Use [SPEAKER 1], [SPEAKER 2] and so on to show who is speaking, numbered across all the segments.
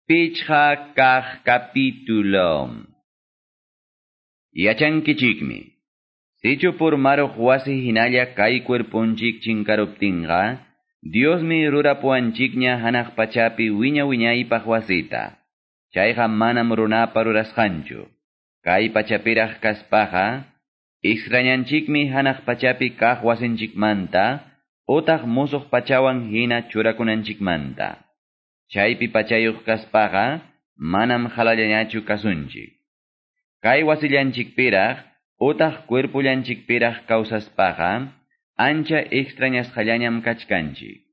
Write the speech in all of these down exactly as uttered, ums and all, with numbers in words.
[SPEAKER 1] Pichqa kaq capítulo. Yachankichikmi. Sichu purmaruq wasi hinalla kay cuerponchik chinkaruptinqa, Diosmi rurapuwanchikña hanaq pachapi wiña wiñaypaq wasita. Chayqa manam runapa rurasqanchu. Kay pachapiraq kaspaqa, extrañanchikmi hanaq pachapi kaq wasinchikmanta, utaq musuq pachawan hina churakunanchikmanta. Chaypi pachayuq kaspaqa, manam halallañachu kasunchik. Kay wasillanchikpiraq, utaq cuerpullanchikpiraq kawsaspaqa, ancha extrañasqallañam kachkanchik.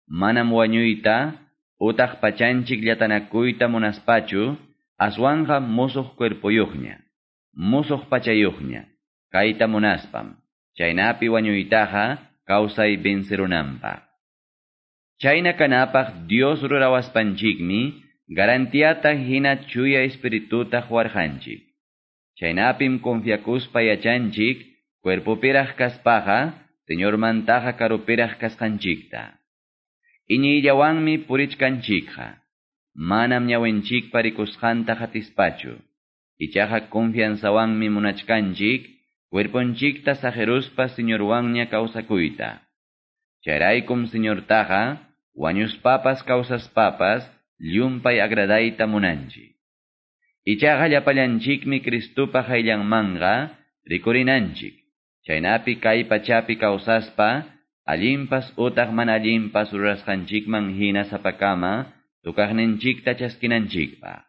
[SPEAKER 1] Manam wañuyta, utaq pachanchik llatanakuyta munaspachu, aswanqa musuq cuerpuyuqña, musuq pachayuqña, kayta munaspam, chaynapi wañuytaqa kawsay vencerunanpaq. Chayna kanapaq Dios rurawaspanchikmi, garantiata hina chuya espirituta huarjanchik. Chaynapim confiakuspa yachanchik, cuerpopiraq kaspaqa, Señormantaqa karupiraq kasqanchikta. Iñiyllawanmi purichkanchikqa. Manam ñawinchikpa rikusqanta hatispachu. Ichaqa confianzawanmi munachkanchik, cuerponchikta sajeruspa Señorwanña kawsakuyta. Chayraykum Señortaqa, wañuspapas kawsaspapas, llumpay agradayta munanchik. Ichaqa llapallanchikmi Cristupa hayllanmanqa rikurinanchik. Chaynapi kay pachapi kawsaspa, allinpas utaq mana allinpas rurasqanchikman hina sapakama, tukaqninchikta chaskinanchikpaq.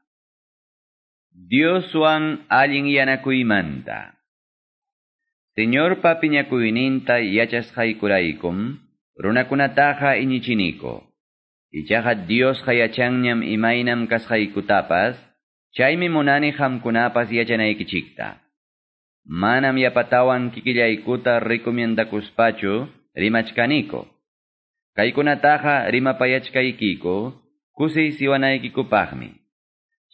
[SPEAKER 1] Dioswan allin yanakuymanta. Señorpa piñakuyninta yachasqaykuraykum, runakunataqa iñichiniko. Ichaqa Diosqa yachanñam imaynam kasqaykutapas, chaymi munani qamkunapas yachanaykichikta. Manam yapatawan kikillaykuta recomiendakuspachu rimachkaniko. Kaykunataqa rimapayachkaykiko, kusiysiwanaykikupaqmi.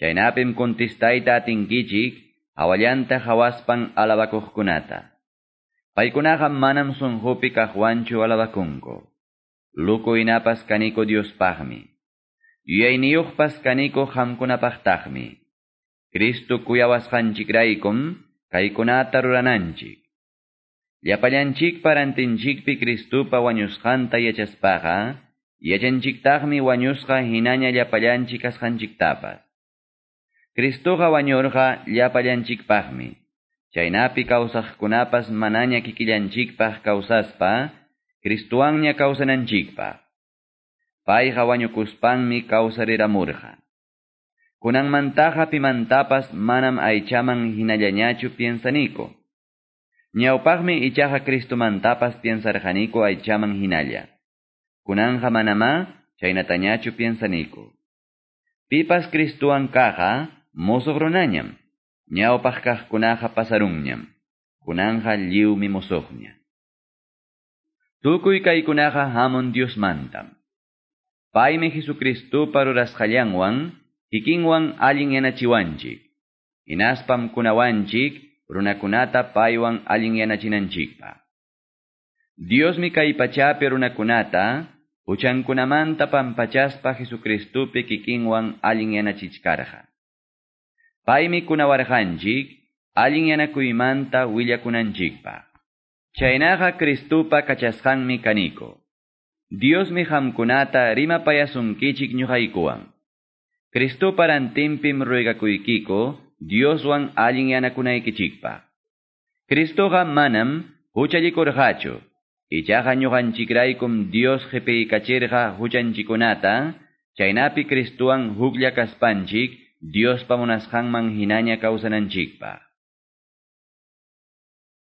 [SPEAKER 1] Chaynapim kontestayta atinkichik, hawallanta hawaspan alabakuqkunata. Paykunaqa manam sunqupi kaqwanchu alabakunku. Luku inapas kaniko Diospaqmi. Yuyayniyuqpas kaniko qamkunapaqtaqmi. Cristo kuyawasqanchikraykum, kaykunata rurananchik. Llapallanchikpa rantinchikpi Cristupa wañusqanta yachaspaqa, yachanchiktaqmi wañusqa hinaña llapallanchik kasqanchiktapas. Cristuqa wañurqa llapallanchikpaqmi. Chaynapi kawsaqkunapas manaña kikillanchikpaq kawsaspa, Cristuwanña kawsananchikpaq. Payqa wañukuspanmi kawsariramurqa. Kunanmantaqa pimantapas manam aychaman hinallañachu piensaniko. Ñawpaqmi ichaqa Cristumantapas piensarqaniko aychaman hinalla. Kunanqa manamá chaynatañachu piensaniko. Pipas Cristuwan kaqqa musuq runañam. Ñawpaq kaqkunaqa pasarunñam. Kunanqa lliwmi musuqña. Tukuy kaykunaqa hamun Diosmantam. Paymi Jesucristupa rurasqallanwan, kikinwan allin yanachiwanchik. Hinaspam kunawanchik, runakunata paywan allin yanachinanchikpaq. Diosmi kay pachapi runakunata, huchankunamanta pampachaspa Jesucristupi kikinwan allin yanachichkarqa. Paymi kunawarqanchik, allin yanakuymanta willakunanchikpaq. Chaynaqa Cristupa kachasqanmi kaniko. Diosmi qamkunata rimapayasunkichik ñuqaykuwan. Cristupa rantinpim ruegakuykiko, Dioswan allin yanakunaykichikpaq. Cristuqa manam huchallikurqachu. Ichaqa ñuqanchikraykum Dios qhipiykachirqa huchanchikunata, chaynapi Cristuwan huklla kaspanchik, Diospa munasqanman hinaña kawsananchikpaq.